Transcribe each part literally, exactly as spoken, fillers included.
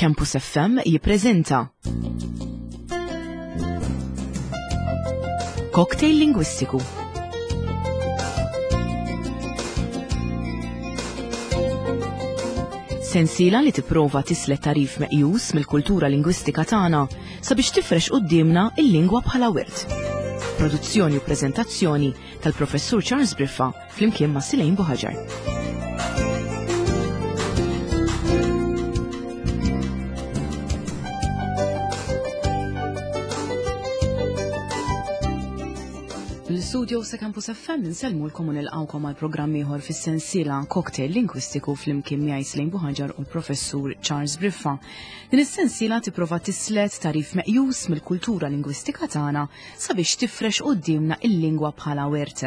Campus F M jippreżenta Cocktail Lingwistiku. Sensiela li tipprova tislet tarif meqjus mill-kultura lingwistika tagħna sabiex tifrex quddiemna il-lingwa bħala wirt. Produzzjoni u preżentazzjoni tal-Professur Charles Briffa flimkien ma' Silejn Buħaġar. L-studio sa' Campus F M nsellmulkom u nilqgħukom għal programm ieħor fis-sensiela Cocktail Lingwistiku flimkien miegħi Silejn Buħaġar u l-Professur Charles Briffa. Din is-sensiela tipprova tislet tarif meqjus mill-kultura lingwistika tagħna sabiex tifrex quddiemna il-lingwa bħala wirt.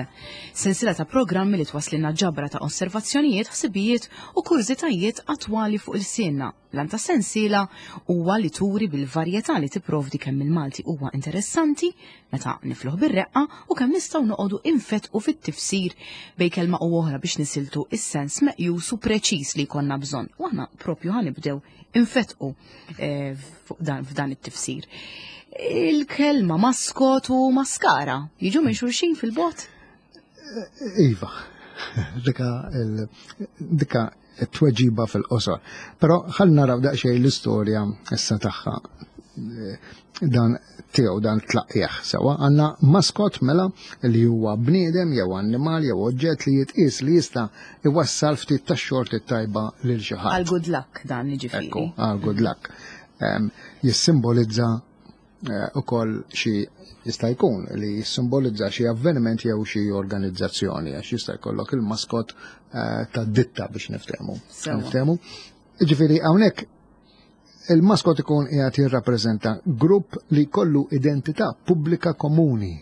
Sensiela ta' programmi li twaslilna ġabra ta' osservazzjonijiet, ħsibijiet u kurżitajiet attwali fuq il-sienna. L-għan ta' sensiela huwa li turi bil-varjetà li tipprovdi kemm il-Malti huwa interessanti meta nifluh bir-reqqa u kemm nistgħu noqogħdu infetqu fit-tifsir bejn kelma u oħra biex nisiltu is-sens meqjus u preċiż li jkollna bżonn. U aħna propju ħanibdew infetqu, eh, fuq dan, f'dan it-tifsir. Il-kelma maskot u maskara jiġu minn xulxin fil-bot? Iva, dika il-, dika t-tweġiba fil-qosor. Però ħalli naraw daqsxejn l-istorja issa tagħha dan tiegħu dan tlaqqieħ sewwa. Għandna maskot mela li huwa bniedem jew annimal jew oġġett li jitqies li jista' iwassal ftit tax-xorti tajba lil xi ħadd. Għal good luck dan jiġifieri. Ekku, għal good luck. Em, jissimbolizza, eh, ukoll xi jista' jkun li jissimbolizza xi avveniment jew xi organizzazzjoni, għax jista' jkollok il-maskot, eh, tad-ditta biex niftehmu. Sewa. Niftehmu. Jiġifieri hawnhekk il-maskot ikun qiegħed jirrappreżenta grupp li jkollu identità pubblika komuni.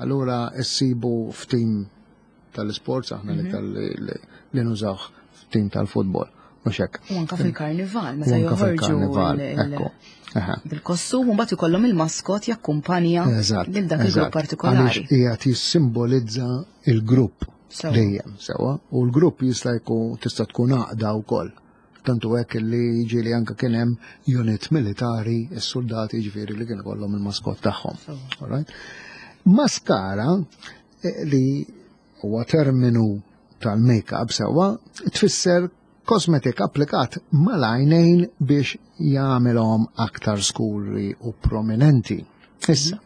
Allura ssibu f'tim tal-isports, aħna Mhm. l-iktar li, li, li nużawh f'tim tal-futbol. Mhux hekk. U anka fil-karnival, meta U anka joħorġu fil-karnival, il-, il-, ekku. Aha. bil-kostum, u mbagħad ikollhom il-maskot jakkumpanja Eżatt, lil dak il-grupp eżatt. partikolari. Għaliex qiegħed jissimbolizza il-grupp Sewa. dejjem, sewa, u l-grupp jista' jkun tista' tkun għaqda wkoll. Tantu hekk li jiġi anke kien hemm unit militari, is-soldati jiġifieri li kien ikollhom il-maskot tagħhom. Sewa. All right? Maskara, eh, li huwa terminu tal-make-up sewwa, tfisser kosmetik applikat mal-għajnejn biex jagħmilhom aktar skuri u prominenti. Issa,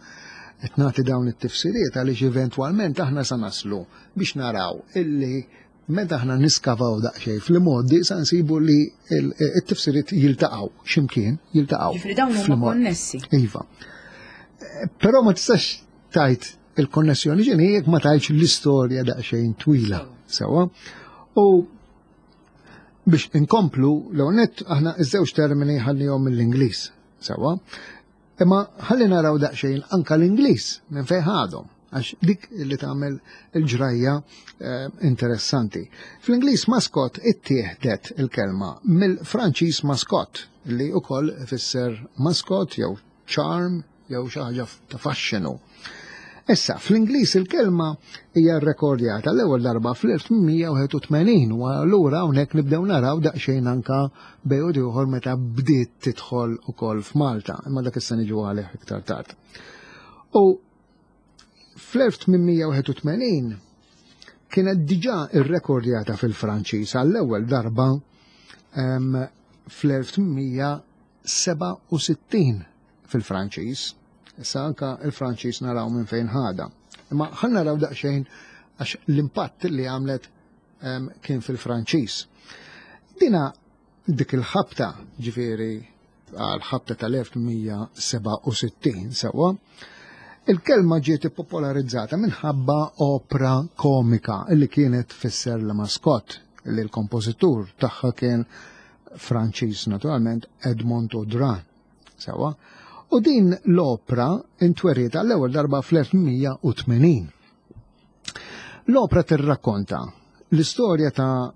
qed nagħti dawn it-tifsiriet għaliex eventwalment aħna sa naslu biex naraw illi meta aħna niskavaw daqsxejn fl-modi sa nsibu li il-, it-tifsiriet jiltaqgħu x'imkien, jiltaqgħu. Ġifieri dawn huma fl-mod. konnessi. Iva. Però ma tistax tajt il-konnessjoni ġini jekk ma tajtx l-istorja daqsxejn twila. Sewwa. U biex inkomplu, l net aħna iż-żewġ termini ħallihom mill-Ingliż, sewwa. Imma ħalli naraw daqsxejn anka l-Ingliż minn fejn ħadhom, għax dik li tagħmel il-ġrajja, eh, interessanti. Fl-Ingliż maskot ittieħdet il-kelma mill-Franċiż maskot, li wkoll ifisser maskot jew charm jew xi ħaġa ta' faxxinu. Issa, fl-Ingliż il-kelma hija rrekordjata l-ewwel darba fl-elf tmien wieħed u tmenin, u allura hawnhekk nibdew naraw daqsxejn anka bejn ieħor meta bdiet tidħol ukoll f'Malta, imma dak issa niġu għalih iktar tard. U fl-elf tmien wieħed u tmenin kienet diġà rrekordjata fil-Franċiż għall-ewwel darba, em, fl-elf tmien seba' u sittin fil-Franċiż. Issa anka il-Franċiż naraw minn fejn ħada. Imma ħa naraw daqsxejn għax l-impatt li għamlet, em, kien fil-Franċiż. Dina dik il-ħabta, ġifieri għal-ħabta tal-elf tmien seba' u sittin sewwa, il-kelma ġiet ippopolarizzata minħabba opra komika li kienet tfisser l-maskot li l-kompożitur tagħha kien Franċiż naturalment Edmond Audran. Sewwa. U din l-opra intweriet għall-ewwel darba fl-elf tmien u tmenin. L-opra tirrakkonta l-istorja ta'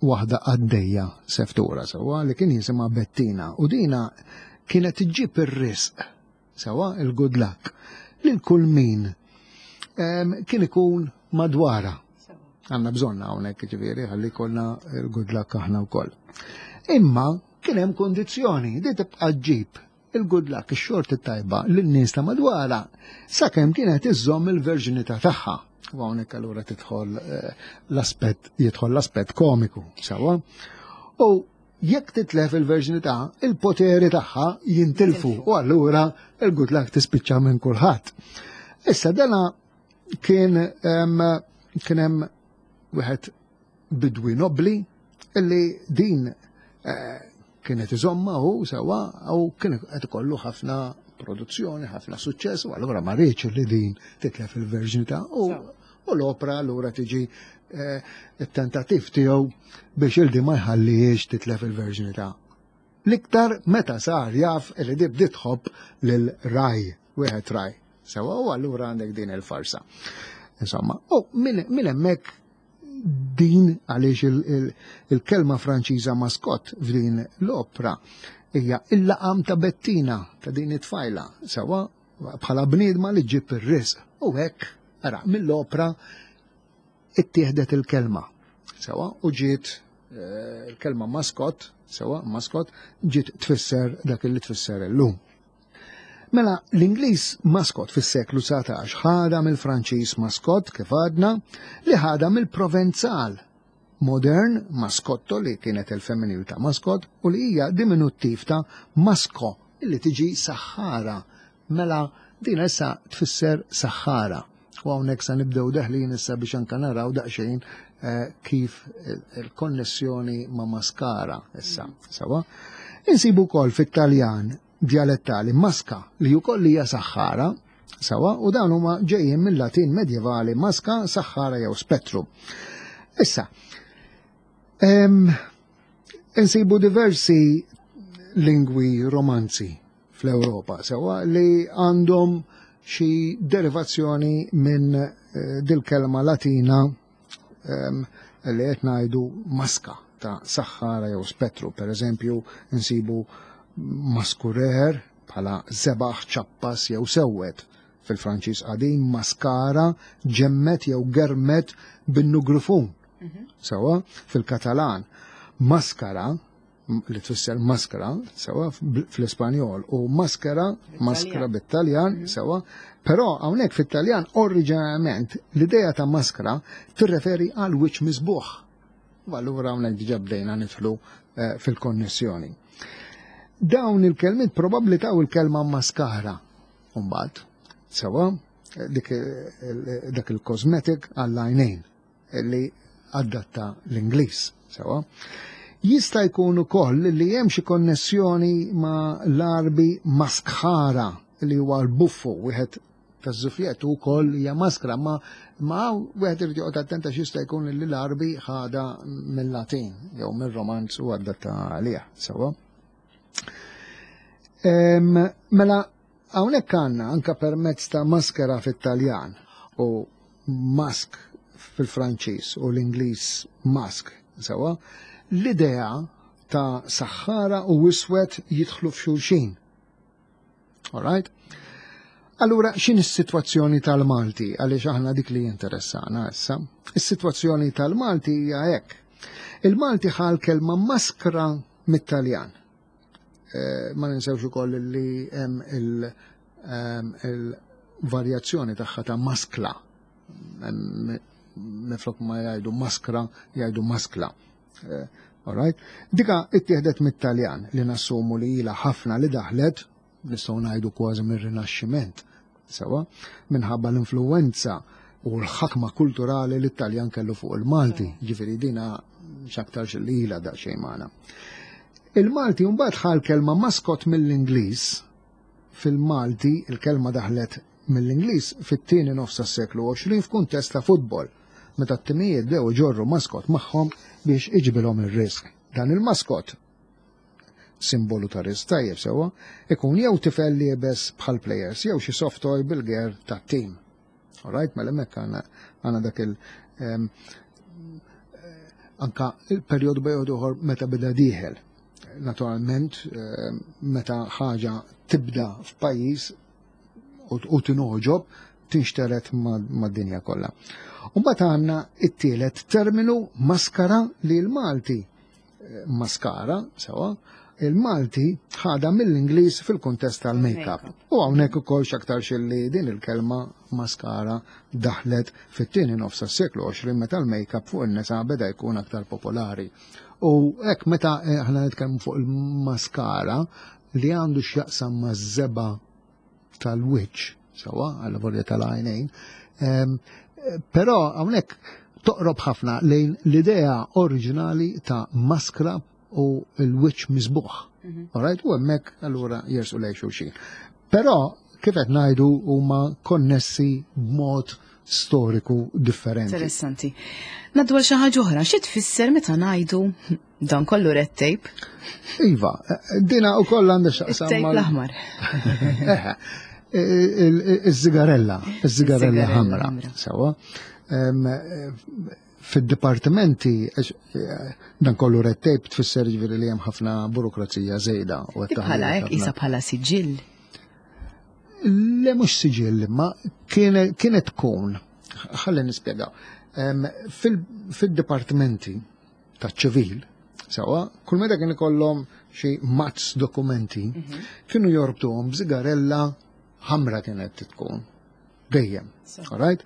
waħda għaddejja seftura sewwa li kien jisimha Bettina, u dina kienet iġġib ir-risq sewwa il-good luck lil kull min, em, kien ikun madwarha. Għandna bżonna hawnhekk ġifieri ħalli jkollna il-good luck aħna wkoll. Imma Kien hemm kondizzjoni di tibqa' ġġib il-good luck, ix-xorti tajba lin-nies ta' madwarha sakemm kienet iżżomm il-verġinità tagħha. U hawnhekk allura tidħol eh, l-aspett jidħol l-aspett komiku, sewwa. U jekk titlef il-verġinità, il-poteri tagħha jintilfu u allura il-good luck tispiċċa minn kulħadd. Issa dana kien kien hemm wieħed bidwi nobli illi din eh, kienet iżomma u sewwa u kien qed ikollu ħafna produzzjoni, ħafna suċċess, u allura ma riedx li din titlef il-verġinità u u l-opra allura tiġi eh, it-tentattiv tiegħu biex il-di ma jħallihiex titlef il-verġinità. L-iktar meta sar jaf li di bdiet tħobb lil ragħaj, wieħed ragħaj. Sewwa u allura għandek din il-farsa. Insomma, u minn hemmhekk din għaliex il-kelma Franċiża mascotte f'din l-opra hija il-laqam ta' Bettina ta' din it-tfajla, sewwa bħala bniedma li ġib ir-risq. U hekk, ara, mill-opra ittieħdet il-kelma. Sewwa, u ġiet eh, il-kelma mascot, sewwa, mascot, ġiet tfisser dak li tfisser illum. Mela, l-Ingliż mascot fis-seklu dsatax ħada mill-Franċiż mascotte, kif għadna, li ħada mill-Provenzal modern mascotto, li kienet il-femminil ta' mascot u li hija diminuttiv ta' masco, li tiġi saħħara. Mela, din issa tfisser saħħara. U hawnhekk sa nibdew deħlin issa biex anka naraw daqsxejn eh, kif il-konnessjoni ma' maskara issa. Sewwa? Insibu wkoll fit-Taljan dialettali masca, li wkoll hija saħħara, sewwa, u dawn huma ġejjin mill-Latin medjevali masca, saħħara jew spettru. Issa, em, insibu diversi lingwi romanzi fl-Ewropa, sewwa, li għandhom xi derivazzjoni minn eh, dil-kelma Latina em, li qed ngħidu masca ta' saħħara jew spettru. Per eżempju, insibu mascurer bħala żebagħ, ċappas jew sewwed. Fil-Franċiż qadim mascara, ġemmet jew germet bin-nugrifun. Sewwa, fil-Katalan maskara, li tfisser maskra, sewwa, fl-Ispanjol, u maskera, maskra bit-Taljan, sewwa, però hawnhekk fit-Taljan oriġinarjament l-idea ta' maskra tirreferi għal wiċċ miżbugħ. U allura hawnhekk diġà bdejna nidħlu eh, fil-konnessjoni. Dawn il-kelmiet probabbli taw il-kelma maskara, mbagħad, sewwa, dik dak il-cosmetic għall-għajnejn li adatta l-Ingliż, sewwa. Jista' jkun ukoll li hemm xi konnessjoni ma' l-Arbi maskħara, li huwa l-buffu wieħed taż-żufjet ukoll hija maskra, ma ma wieħed irid joqgħod attenta x'jista' jkun li l-Arbi ħada mill-Latin jew mir-Romanz u adatta għaliha, sewwa. Mela, hawnhekk għandna anka permezz ta' maskera fit-Taljan u mask fil-Franċiż u l-Ingliż mask, sewwa, l-idea ta' saħħara u iswed jidħlu f'xulxin. All right? Allura, x'in is-sitwazzjoni tal-Malti? Għaliex aħna dik li jinteressana issa. Is-sitwazzjoni tal-Malti hija hekk. Il-Malti ħa l-kelma maskra mit-Taljan. Eh, ma ninsewx ukoll li hemm il-varjazzjoni tagħha ta' maskla. Minflok ma jgħidu maskra, jgħidu maskla. Eh, alright? Dika ittieħdet mit-Taljan, li nassumu li ilha ħafna li daħlet, nistgħu ngħidu kważi mir-Rinaxximent, sewwa, minħabba l-influenza u l-ħakma kulturali li t-Taljan kellu fuq il-Malti, ġifieri dina x'aktarx li ilha daqsxejn magħna. Il-Malti mbagħad ħa l-kelma mascot mill-Ingliż. Fil-Malti il-kelma daħlet mill-Ingliż fit-tieni nofs tas-seklu għoxrin f'kuntest ta' futbol, meta t-timijiet bdew iġorru maskot magħhom biex iġibilhom ir-risq. Dan il-maskot, simbolu ta' risq tajjeb, sewwa, ikun jew tifel liebes bħal players jew xi soft toy bil-gear tat-team. Alright, mela hemmhekk għandna dak il- em, anka il-perjodu perjodu ieħor meta beda dieħel. Naturalment, em, meta ħaġa tibda f'pajjiż u u tinogħġob, tinxteret mad-dinja kollha. U mbagħad għandna it-tielet terminu maskara, li l-Malti eh, maskara, sewwa, Il-Malti ħada mill-Ingliż fil-kuntest tal-make-up. Make-up. U hawnhekk ukoll x'aktar li din il-kelma maskara daħlet fit-tieni nofs tas-seklu għoxrin meta l-make-up fuq in-nisa beda jkun aktar popolari. U hekk meta eh, aħna nitkellmu fuq il-maskara li għandu x'jaqsam maż-żebgħa tal-wiċċ, sewwa, għal volja tal-għajnejn, em, eh, però hawnhekk toqrob ħafna lejn l-idea oriġinali ta' maskra u l-wiċċ miżbugħ. Alright, u hemmhekk allura jersu lejn xulxin. Però kif qed ngħidu huma konnessi b'mod storiku differenti. Interessanti. Ngħaddu għal xi ħaġa oħra, xi tfisser meta ngħidu dan kollu red tape? Iva, dina ukoll għandha x'taqsam It-tape mal- l-aħmar. Eħe, il- il- Iż-żigarella, iż-żigarella Iż-żigarella ħamra. ħamra. Sewwa. Em, eh, Fid-dipartimenti, għax, eh, dan kollu red tape tfisser ġifieri li hemm ħafna burokrazija żejda. u qed Bħala taħli hekk ħafna- isa bħala siġill. Le mhux siġill, ma kienet kienet tkun, ħalli nispjegaw. Em, fil- Fil-dipartimenti ta' ċivil, sewwa, kull meta kien ikollhom xi mazz dokumenti, kienu jorbtuhom b'żigarella ħamra kienet tkun. Dejjem. All right?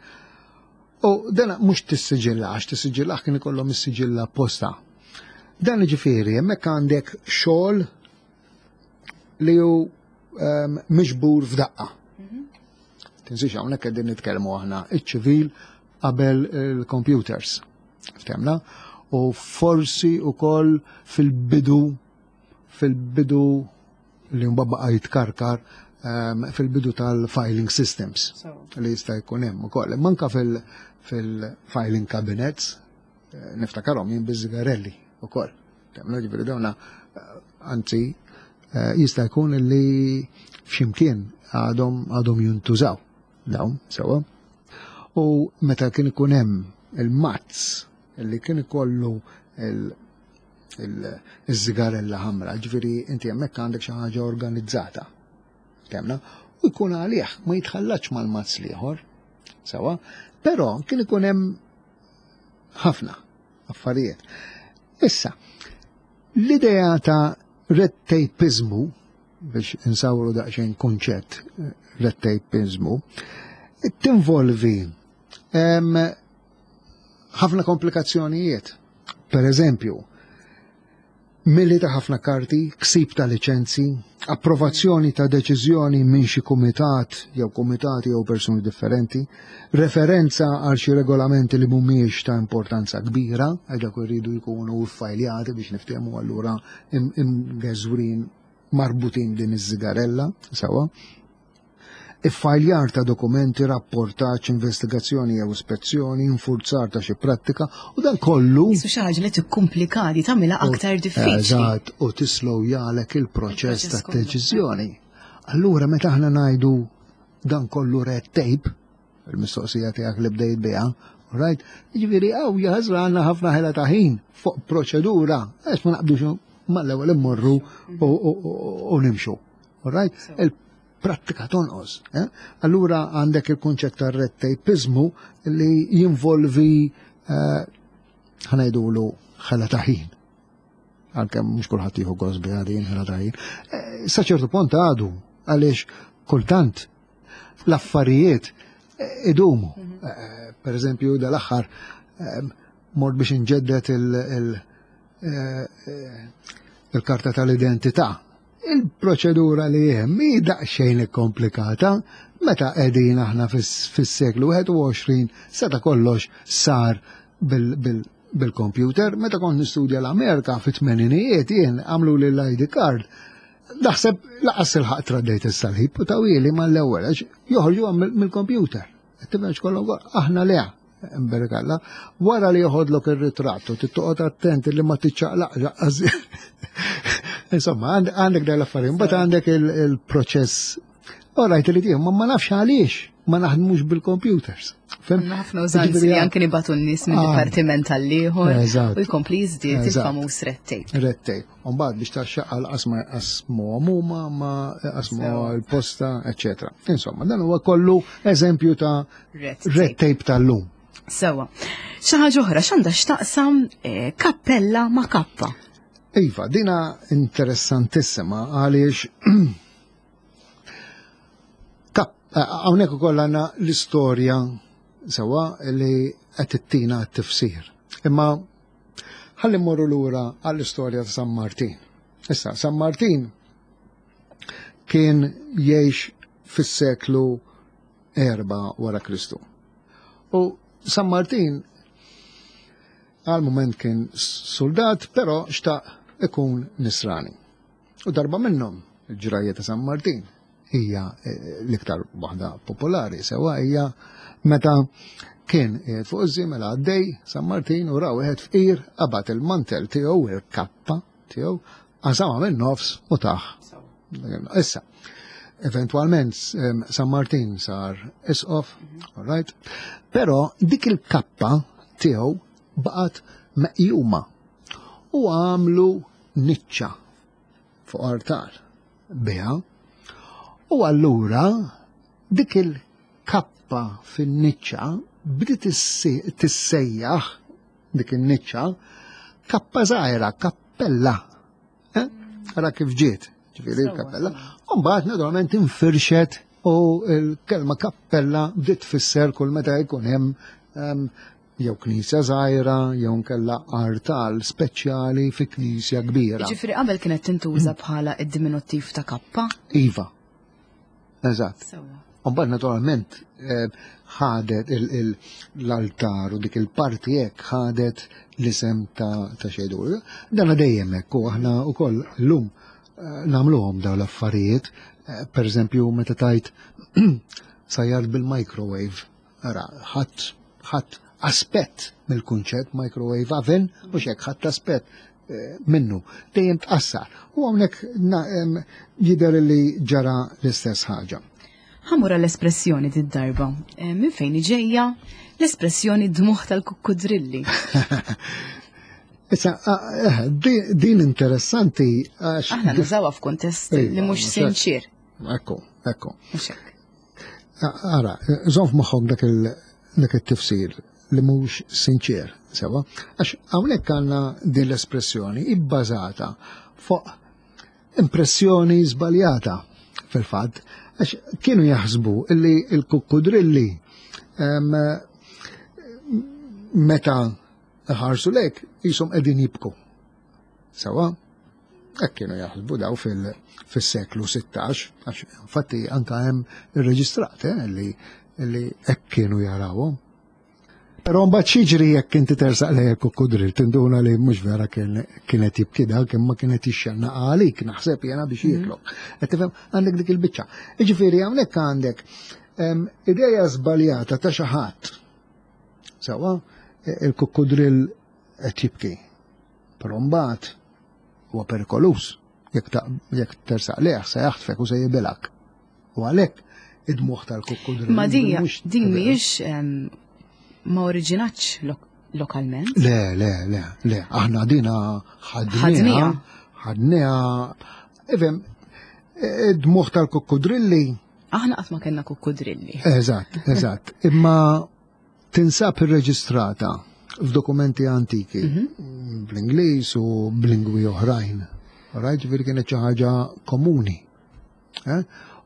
U dana mhux tissiġilla, għax tissiġilla kien ikollhom is-siġilla apposta. Dan ġifieri, hemmhekk għandek xogħol li hu um, miġbur f'daqqa. Tinsiex hawnhekk qegħdin nitkellmu aħna iċ-ċivil qabel il-computers. Ftemna? U forsi ukoll fil-bidu fil-bidu li mbagħad baqa' jitkarkar um, fil-bidu tal-filing systems li jista' jkun hemm ukoll. Manka fil- fil-filing cabinets eh, niftakarhom jien biż-żigarelli ukoll. Temna ġifieri dawna eh, anzi eh, jista' jkun li f'ximkien għadhom għadhom jintużaw dawn sewwa. U meta kien ikun hemm il-mazz li kien ikollu il- il- iż-żigarella ħamra, ġifieri inti hemmhekk għandek xi ħaġa organizzata. Temna? U jkun għalih, ma jitħallax mal-mazz l-ieħor. Sewwa, però kien ikun hemm ħafna affarijiet. Issa, l-idea ta' red tapeizmu, biex insawru daqsxejn kunċett eh, red tapeizmu, tinvolvi em, ħafna komplikazzjonijiet. Per eżempju, milli ta' ħafna karti, ksib ta' liċenzi, approvazzjoni ta' deċiżjoni minn xi kumitat jew kumitati jew persuni differenti, referenza għal xi regolamenti li mhumiex ta' importanza kbira, għal dak iridu jkunu ffajljati biex niftehmu allura im- imgeżwrin marbutin din iż-żigarella, sewwa. Iffajljar ta' dokumenti, rapportaġġ, investigazzjoni jew ispezzjoni, infurzar ta' xi prattika u dan kollu Jisu xi ħaġa li tikkumplikati tagħmilha aktar diffiċli. Eżatt, u tislowjalek il-proċess Il-proċess ta' kollu. deċiżjoni. Allura meta aħna ngħidu dan kollu red tape, il-mistoqsija tiegħek li bdejt biha, right? Jiġifieri hawn jaħasra għandna ħafna ħela ta' ħin fuq proċedura, għax ma naqbdux mal-ewwel immorru u- u- u u nimxu. All right? Il-prattika tonqos. eh? Allura għandek il-kunċett ta' red tapeizmu li jinvolvi eh, ħa ngħidulu ħela ta' ħin. Għalkemm mhux kulħadd jieħu gost biha din ħela ta' ħin. Eh, Sa ċertu punt għadu għaliex kultant l-affarijiet eh, idumu. Eh, Per eżempju, dal-aħħar eh, mort biex inġeddet il- il- eh, eh, il-karta tal-identità. Il-proċedura li hemm hi daqsxejn komplikata meta qegħdin aħna fis- fis-seklu wieħed u għoxrin seta' kollox sar bil- bil- bil-computer. Meta kont nistudja l-Amerika fit-tmeninijiet jien għamlu li l-I D card. Naħseb lanqas ilħaqt traddejt is-salib u tawhieli mal-ewwel għax joħorġu mill-computer. Tifhem x'kollu aħna le imberkalla, wara li joħodlok ir-ritratt u tittoqgħod attent li ma tiċċaqlaq. Insomma, għand- għandek dal affarijiet, mbagħad għandek il- il-proċess. Alright, li tieħu, ma ma nafx għaliex ma naħdmux bil-computers. Fhimt? Għandna ħafna użanzi li Ġifieri, anke nibagħtu n-nies minn Ah. dipartiment għall-ieħor Eżatt. u jkompli jiżdied Eżatt. il-famuż red tape. Red tape. Umbagħad biex taxxaqqa l-qasma qasmu huma ma qasmu Sewa. l-posta, eccetera. Insomma, dan huwa kollu eżempju ta' Red red tape. tape tal-lum. Sewwa. Xi ħaġa oħra x'għandha x'taqsam eh, kappella ma' kappa. Iva, dina interessantissima għaliex hawnhekk ukoll għandna l-istorja sewwa li qed tittina t-tifsir. Imma ħalli mmorru lura għall-istorja ta' San Martin. Issa, San Martin kien jgħix fis-seklu erba wara Kristu. U San Martin għal moment kien soldat, però xtaq ikun nisrani. U darba minnhom il-ġrajja ta' San Martin hija eh, l-iktar waħda popolari, sewa hija meta kien qiegħed fuq iż-żiemel għaddej San Martin u ra wieħed fqir qabad il-mantel tiegħu il-kappa tiegħu qasama minn nofs u taħ. Issa, eventualment San Martin sar isqof, all right? Però dik il-kappa tiegħu baqgħet meqjuma u għamlu niċċa fuq artal biha. U allura dik il-kappa fin-niċċa bdiet tissejjaħ dik in-niċċa kappa żgħira, kappella. Eh? Ara kif ġiet, ġifieri l-kappella. U mbagħad naturalment infirxet u l-kelma kappella bdiet tfisser kull meta jkun hemm jew knisja żgħira jew nkella artal speċjali fi knisja kbira. Ġifieri qabel kienet tintuża bħala id-diminuttiv ta' kappa? Iva. Eżatt. U mbagħad naturalment ħadet l-altar u dik il-parti hekk ħadet l-isem ta' xejdu. Dan dejjem hekk u aħna wkoll llum nagħmluhom dawn l-affarijiet. Per eżempju meta tajt sajjar bil-microwave. Ara, ħadd ħadd aspett mill-kunċett microwave oven u xek ħadd aspett minnu dejjem tqassar. U hawnhekk jidher li ġara l-istess ħaġa. Ħamura l-espressjoni d-darba. Minn fejn ġejja l-espressjoni dmuħ tal-kukkudrilli? Issa, din interessanti għax. Aħna nużawha f'kuntest li mhux sinċir. Ekku, ekku. Ara, żomm f'moħħok dak it-tifsir li mhux sinċir, sewa, għax hawnhekk għandna din l-espressjoni ibbażata fuq impressjoni żbaljata fil-fatt, għax kienu jaħsbu illi l-kukkudrilli meta ħarsu lek jisom qegħdin jibku. Sewa, hekk kienu jaħsbu daw fis-seklu sittax, għax infatti anka hemm irreġistrat eh, li li hekk kienu jarawhom. Però mbagħad xiġri jekk inti tersaq lejn il-kukkudrill tinduna li mhux vera kienet jibki dak imma kienet jixxenna għalik naħseb jiena biex jieklok. Qed tifhem għandek dik il-biċċa. Jiġifieri hawnhekk għandek ideja żbaljata ta' xi ħadd. Sewwa il-kukkudrill qed jibki. Però mbagħad huwa perikolus jekk tersaq lejh se jaħtfek u se jibilak. U għalhekk id-dmuħ tal-kukkudrill. Ma din mhijiex ma oriġinatx lokalment? Le, le, le, le, aħna dina ħadniha, ħadniha, ifhem, id-dmuħ tal-kukkudrilli. Aħna qatt ma kellna kukkudrilli. Eżatt, eżatt. Imma tinsab irreġistrata f'dokumenti antiki, bl-Ingliż u b'lingwi oħrajn. Rajt ġifieri kienet xi ħaġa komuni.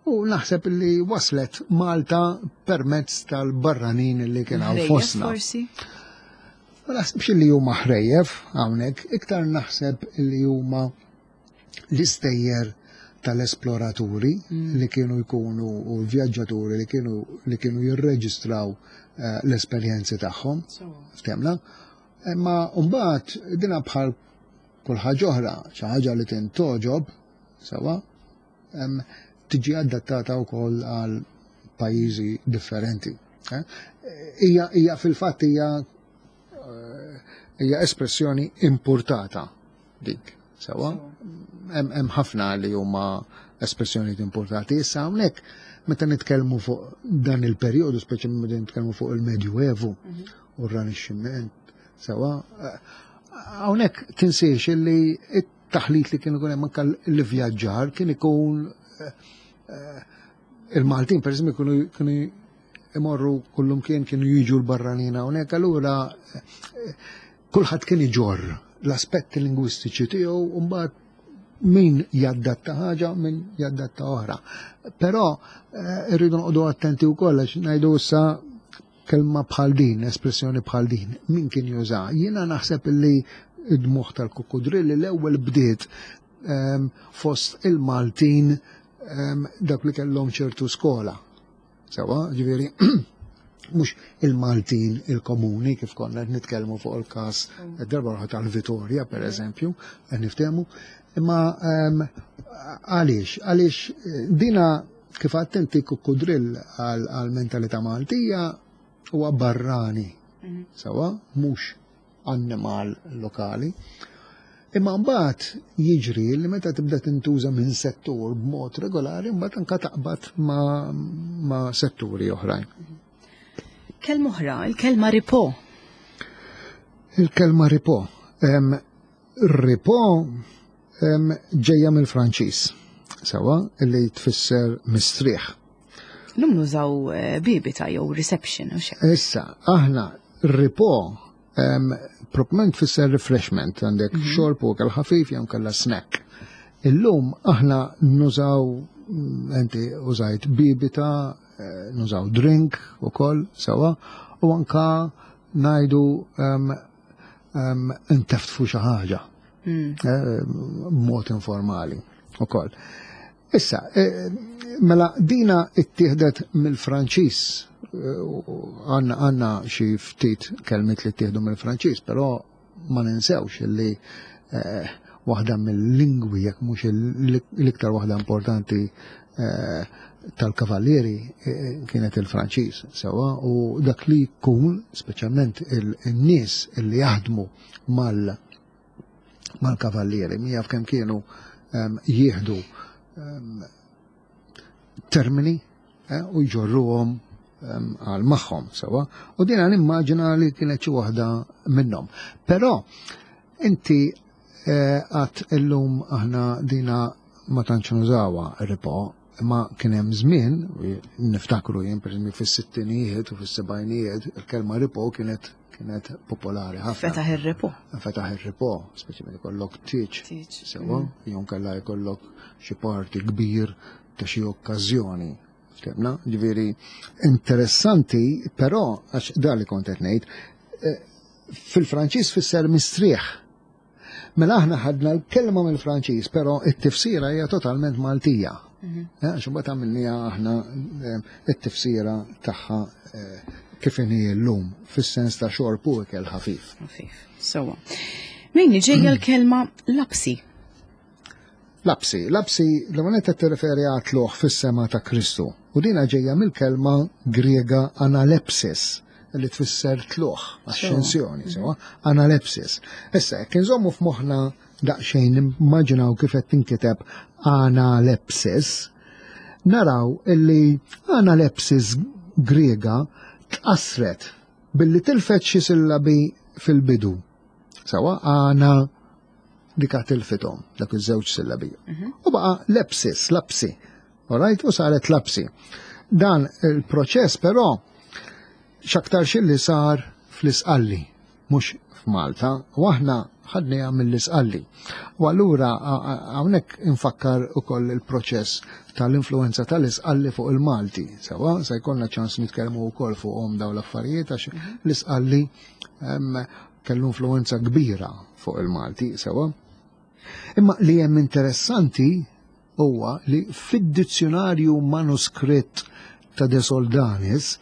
U naħseb li waslet Malta permezz tal-barranin li kien hawn fostna. Ma naħsibx li huma ħrejjef hawnhekk, iktar naħseb li huma l-istejjer tal-esploraturi li kienu jkunu u l-vjaġġaturi li kienu li kienu jirreġistraw l-esperjenzi tagħhom. Ftemna? Imma mbagħad dina bħal kull ħaġa oħra, xi ħaġa li tintoġob sewwa, tiġi adattata wkoll għal pajjiżi differenti. Hija hija fil-fatt hija hija espressjoni importata dik. Sewwa, hemm ħafna li huma espressjonijiet importati. Issa hawnhekk meta nitkellmu fuq dan il-perjodu, speċjalment meta nitkellmu fuq il-Medjuevu u r-Rinaxximent, sewwa, hawnhekk tinsiex illi t-taħlit li kien ikun hemm anke l-ivvjaġġar kien ikun il-Maltin per eżempju kienu kienu imorru kullum kien kienu jiġu l-barranin hawnhekk, allura kulħadd kien iġorr l-aspetti lingwistiċi tiegħu u mbagħad min jaddatta ħaġa, min jaddatta oħra. Però eh, rridu noqogħdu attenti wkoll għax ngħidu issa kelma bħal din, espressjoni bħal din, min kien juża? Jiena naħseb illi id-dmugħ tal-kukudrilli l-ewwel bdiet ehm, fost il-Maltin ehm, dak li kellhom ċertu skola. Sewa, ġifieri, mhux il-Maltin il-komuni kif konna qed nitkellmu fuq il-każ darba oħra tal-Vitorja, per eżempju, qed niftehmu, imma ehm, għaliex, għaliex eh, dina kif attenti kukudrill għal-mentalità Maltija huwa barrani, sewa, mhux annimal lokali. Imma mbagħad jiġri li meta tibda tintuża minn settur b'mod regolari, mbagħad anka taqbad ma, ma setturi oħrajn. Kelma oħra, il-kelma ripo. Il-kelma ripo. Em, ripo em, ġejja mill-Franċiż, sewa, illi tfisser mistrieħ. Lum nużaw eh, bibita jew reception u xek. Issa, aħna ripo um, proprement tfisser refreshment, għandek mm -hmm. xorb u ikel ħafif jew kella snack. Illum aħna nużaw, mm, inti użajt bibita, eh, nużaw drink u koll, sewa, u anka ngħidu um, um, inteftfu xi ħaġa. Mm. Eh, mod informali u koll. Issa, eh, mela dina ittieħdet mill-Franċiż, għanna għanna xi ftit kelmiet li ttieħdu mill-Franċiż, però ma ninsewx li eh, waħda mill-lingwi, jekk mhux l-iktar waħda importanti eh, tal-kavallieri eh, kienet il-Franċiż, sewa, u dak li jkun, speċjalment il-nies li jaħdmu mal mal-kavallieri, min jaf kemm kienu em, jieħdu em, termini eh, u jġorruhom em, għal magħhom, sewa, u dina nimmaġina li kienet xi waħda minnhom. Però inti eh, għat illum aħna dina ma tantx nużawha ripo, imma kien hemm żmien, niftakru jien pereżempju fis-sittinijiet u fis-sebgħinijiet, il-kelma ripo kienet kienet popolari ħafna. Fetaħ ir-ripo. Fetaħ ir-ripo, speċjalment ikollok tieġ. Tieġ. Sewa, jew kella jkollok xi party kbir ta' xi okkażjoni. Ftemna? Ġifieri interessanti, però għax da li kont qed ngħid, eh, fil-Franċiż fisser mistrieħ. Mela aħna ħadna l-kelma mill-Franċiż, però it-tifsira hija totalment Maltija. Eh, għax imbagħad għamilniha aħna eh, it-tifsira tagħha eh, kif inhi llum fis-sens ta' xorb u ikel ħafif. Ħafif. Sewa. Min ġejja l-kelma lapsi. Lapsi, lapsi l-għonet qed tirreferi għat-tlugħ fis-sema ta' Kristu. U dina ġejja mill-kelma Griega analepsis, li tfisser tlugħ, ascensjoni, sewa, analepsis. Issa, jekk inżommu f'moħħna daqsxejn nimmaġinaw kif qed tinkiteb analepsis, naraw illi analepsis Griega tqasret billi tilfet xi sillabi fil-bidu. Sewa, ana dika tilfithom, dak iż-żewġ sillabi. U baqa lepsis, lapsi. Alright, u saret lapsi. Dan il-proċess però x'aktar li sar fl-Isqalli, mhux f'Malta, u aħna ħadniha mill-Isqalli. U allura hawnhekk infakkar ukoll il-proċess tal-influenza tal-Isqalli fuq il-Malti. Sewa, se jkollna ċans nitkellmu wkoll fuqhom dawn l-affarijiet għax l-Isqalli kellu influenza kbira fuq il-Malti, sewa. Imma li hemm interessanti huwa li fid-dizzjonarju manuskritt ta' De Soldanis,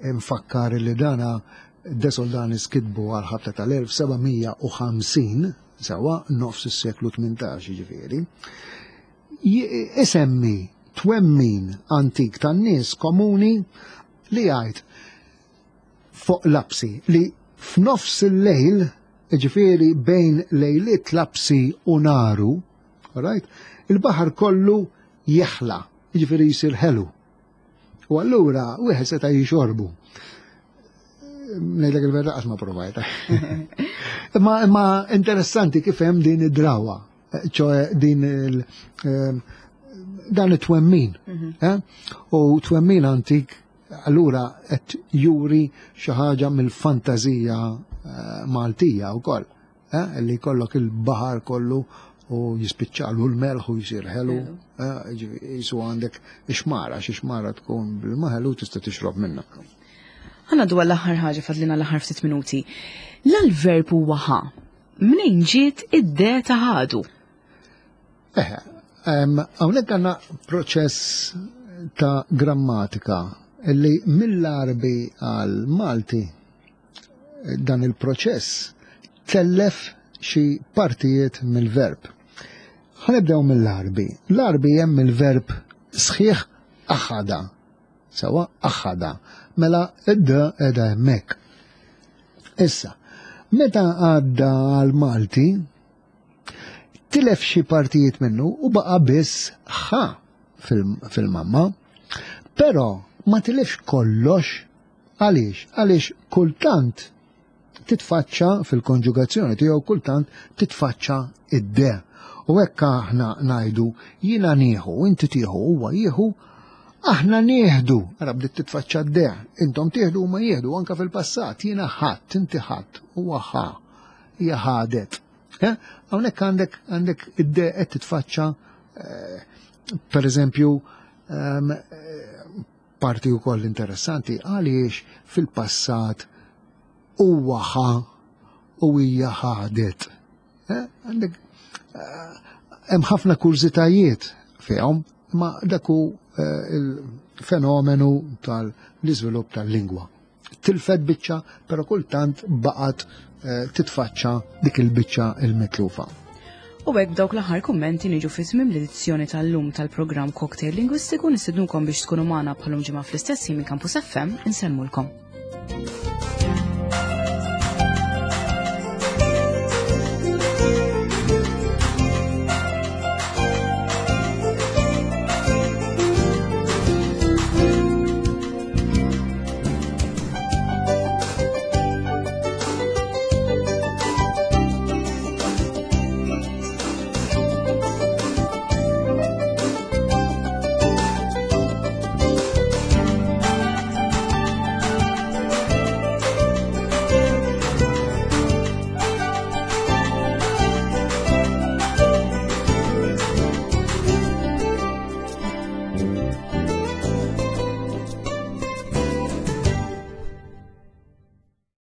infakkar li dana De Soldanis kitbu għal ħabta tal-elf seba' mija u ħamsin, sewa nofs is-seklu tmintax jiġifieri, isemmi twemmin antik tan-nies komuni li jgħid fuq lapsi li f'nofs il-lejl, jiġifieri bejn lejliet lapsi u naru, right, il-baħar kollu jeħla, jiġifieri jsir ħelu. U allura wieħed seta' jixorbu. Ngħidlek il-verità qatt ma provajta. Imma, imma interessanti kif hemm din id-drawa, ċoe din il, ehm, dan it-twemmin. Mhm. Eh? U twemmin antik allura qed juri xi ħaġa mill-fantażija, eh, Maltija wkoll. eh, li jkollok il-baħar kollu u jispiċċalu l-melħ u jisir ħelu, eh, jisu għandek ixmara, xi xmara tkun bil-maħelu tista' tixrob minna. Ħa ngħaddu l-aħħar ħaġa, fadlina l-aħħar ftit minuti. L-verb huwa ħa. Mnejn ġiet id-de ta' ħadu? Eh, hawnhekk għandna proċess ta' grammatika illi mill-Arbi għal Malti dan il-proċess tellef xi partijiet mill-verb. Ħa nibdew mill-Arbi. L-Arbi hemm il-verb sħiħ aħada. Sewwa, aħada. Mela id-d qiegħda hemmhekk. Issa, meta għadda għal Malti, tilef xi partijiet minnu u baqa biss ħa fil-mamma, però ma tilefx kollox. Għaliex? Għaliex kultant titfaċċa fil-konġugazzjoni tiegħu, kultant titfaċċa id-de. U hekk aħna ngħidu jiena nieħu, inti tieħu, huwa jieħu, aħna nieħdu. Ara bdiet titfaċċa d-de. Intom tieħdu, huma jieħdu, anka fil-passat, jiena ħadd, inti ħadd, huwa ħa, hija ħadet. Eh? Hawnhekk għandek għandek id-de qed titfaċċa, eh, per eżempju, ehm, eh, parti wkoll interessanti għaliex fil-passat huwa ħa u hija ħadet. Għandek hemm ħafna kurżitajiet fihom, ma dak hu il-fenomenu tal-iżvilupp tal-lingwa. Tilfet biċċa, però kultant baqgħet titfaċċa dik il-biċċa il-mitlufa. U hekk b'dawk l-aħħar kummenti niġu fi tmiem l-edizzjoni tal-lum tal-programm Cocktail Lingwistiku. Nistednukom biex tkunu magħna bħal-lum ġimgħa fl-istess minn Campus F M. Insellmulkom.